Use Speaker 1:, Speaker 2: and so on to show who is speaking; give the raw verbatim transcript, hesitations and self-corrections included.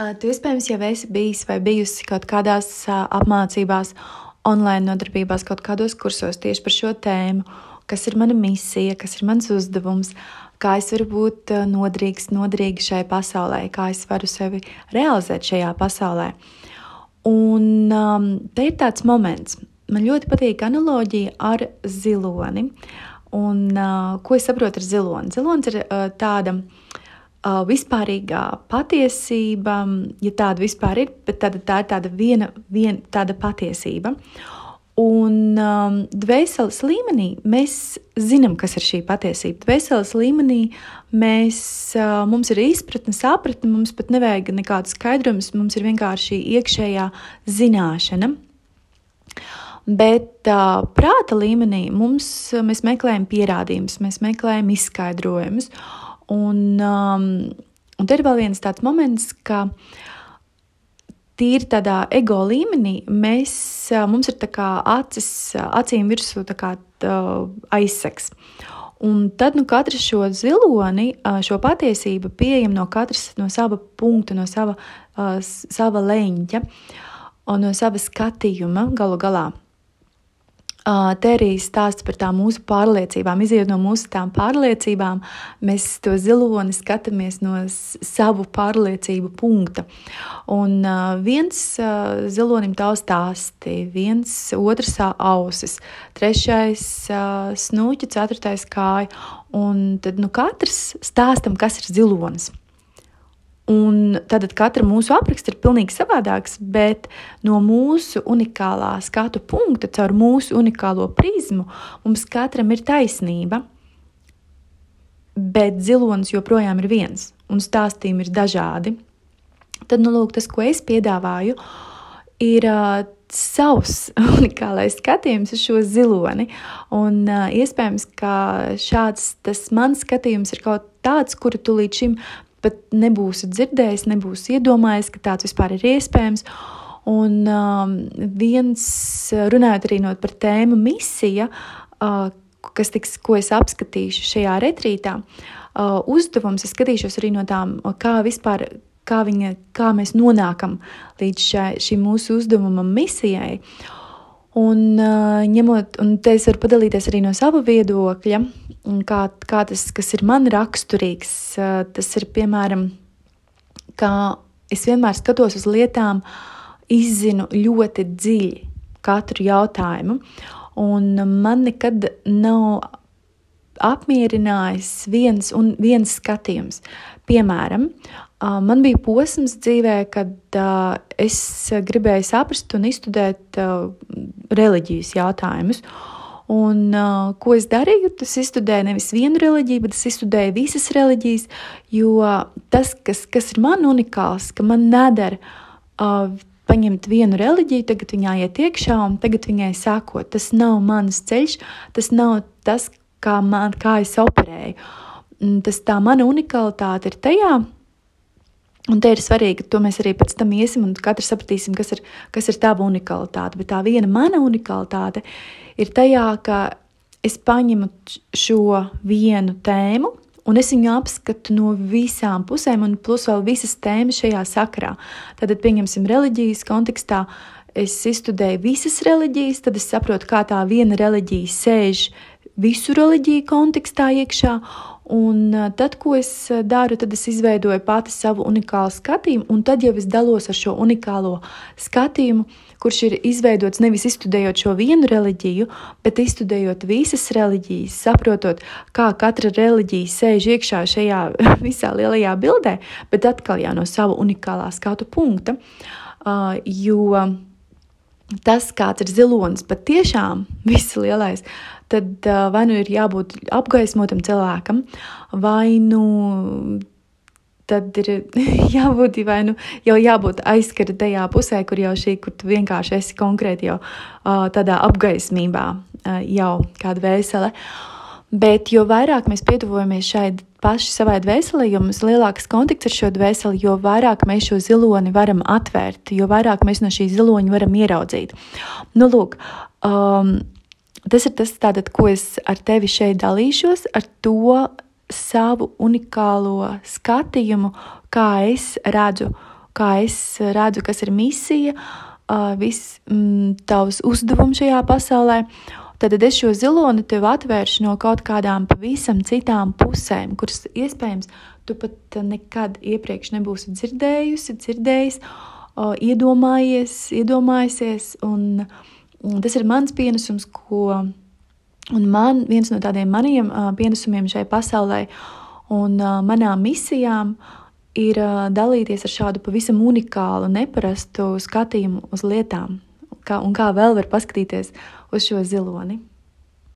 Speaker 1: Tu iespējams jau esi bijis vai bijusi kaut kādās apmācībās, online nodarbībās, kaut kādos kursos tieši par šo tēmu, kas ir mana misija, kas ir mans uzdevums, kā es varu būt nodrīgs, nodrīgi šai pasaulē, kā es varu sevi realizēt šajā pasaulē. Un um, te ir tāds moments. Man ļoti patīk analoģija ar ziloni. Un uh, ko es saprotu ar ziloni? Zilonis ir uh, tāda uh, vispārīgā patiesība, ja tāda vispār ir, bet tāda, tā ir tāda viena, viena tāda patiesība. Un um, dvēseles līmenī mēs zinām, kas ir šī patiesība. Dvēseles līmenī mēs, uh, mums ir izpratne, sapratne, mums pat nevajag nekādu skaidrojumus, mums ir vienkārši iekšējā zināšana. Bet uh, prāta līmenī mums, mēs meklējam pierādījumus, mēs meklējam izskaidrojumus. Un, um, un te ir vēl viens tāds moments, ka tīri tādā ego līmenī mēs, mums ir tā kā acis, acīm virsū tā kā aizsegs. Un tad nu katrs šo ziloni, šo patiesību pieejam no katras no sava punkta, no sava, sava leņķa un no sava skatījuma galu galā. Te arī stāsts par tām mūsu pārliecībām. Izejot no mūsu tām pārliecībām, mēs to ziloni skatāmies no savu pārliecību punkta. Un viens zilonim tavu stāsti, viens otrs ausis, trešais snūķi, ceturtais kāja. Un tad nu katrs stāstam, kas ir zilonis. Un tad katra mūsu apraksts ir pilnīgi savādāks, bet no mūsu unikālā skatu punkta, caur mūsu unikālo prizmu, mums katram ir taisnība, bet zilonis joprojām ir viens, un stāstījumi ir dažādi. Tad, nu, lūk, tas, ko es piedāvāju, ir uh, savs unikālais skatījums uz šo ziloni, un uh, iespējams, ka šāds tas mans skatījums ir kaut tāds, kuru tu līdz šim pat nebūsi dzirdējis, nebūsi iedomājies, ka tāds vispār ir iespējams. Un um, viens, runājot arī no par tēmu misija, uh, kas tiks, ko es apskatīšu šajā retrītā, uh, uzdevums, es skatīšos arī no tām, kā vispār, kā, viņa, kā mēs nonākam līdz šai, šim mūsu uzdevumam misijai. Un, uh, ņemot, un te es varu padalīties arī no sava viedokļa, kā, kā tas, kas ir man raksturīgs. Uh, tas ir, piemēram, kā es vienmēr skatos uz lietām, izzinu ļoti dziļi katru jautājumu, un man nekad nav apmierinājis viens un viens skatījums. Piemēram, man bija posms dzīvē, kad es gribēju saprast un izstudēt reliģijas jautājumus. Un ko es darīju? Es izstudēju nevis vienu reliģiju, bet es izstudēju visas reliģijas, jo tas, kas, kas ir man unikāls, ka man nedara paņemt vienu reliģiju, tagad viņā iet iekšā un tagad viņai sekot. Tas nav mans ceļš, tas nav tas, kā, man, kā es operēju. Tas tā mana unikalitāte ir tajā, un te ir svarīgi, to mēs arī pēc tam iesim un katrs sapratīsim, kas ir, kas ir tava unikalitāte. Bet tā viena mana unikalitāte ir tajā, ka es paņemu šo vienu tēmu un es viņu apskatu no visām pusēm un plus vēl visas tēmas šajā sakarā. Tad pieņemsim reliģijas kontekstā, es izstudēju visas reliģijas, tad es saprotu, kā tā viena reliģija sēž visu reliģiju kontekstā iekšā, un tad, ko es daru, tad es izveidoju pati savu unikālu skatījumu, un tad jau es dalos ar šo unikālo skatījumu, kurš ir izveidots nevis izstudējot šo vienu reliģiju, bet izstudējot visas reliģijas, saprotot, kā katra reliģija sēž iekšā šajā visā lielajā bildē, bet atkal jau no sava unikālā skatu punkta, uh, jo tas, kāds ir zilonis, pat tiešām viss lielais, tad uh, vai nu ir jābūt apgaismotam cilvēkam, vai nu tad ir jābūt, vai nu jau jābūt aizskara tajā pusē, kur jau šī, kur tu vienkārši esi konkrēti jau uh, tādā apgaismībā uh, jau kāda vēsele. Bet jo vairāk mēs pietuvojamies šai paši savai dvēselē, jo mums lielāks kontakts ar šo dvēseli, jo vairāk mēs šo ziloni varam atvērt, jo vairāk mēs no šī ziloņa varam ieraudzīt. Nu, lūk, um, tas ir tas, tātad, ko es ar tevi šeit dalīšos, ar to savu unikālo skatījumu, kā es redzu kā es redzu, kas ir misija, viss mm, tavs uzdevums šajā pasaulē, tad es šo ziloni tev atvēršu no kaut kādām pavisam citām pusēm, kuras iespējams tu pat nekad iepriekš nebūsi dzirdējusi, dzirdējis, iedomājies, iedomājusies, un, un tas ir mans pienesums, ko, un man, viens no tādiem maniem pienesumiem šai pasaulē, un manām misijām ir dalīties ar šādu pavisam unikālu, neparastu skatījumu uz lietām, kā, un kā vēl var paskatīties uz šo ziloni.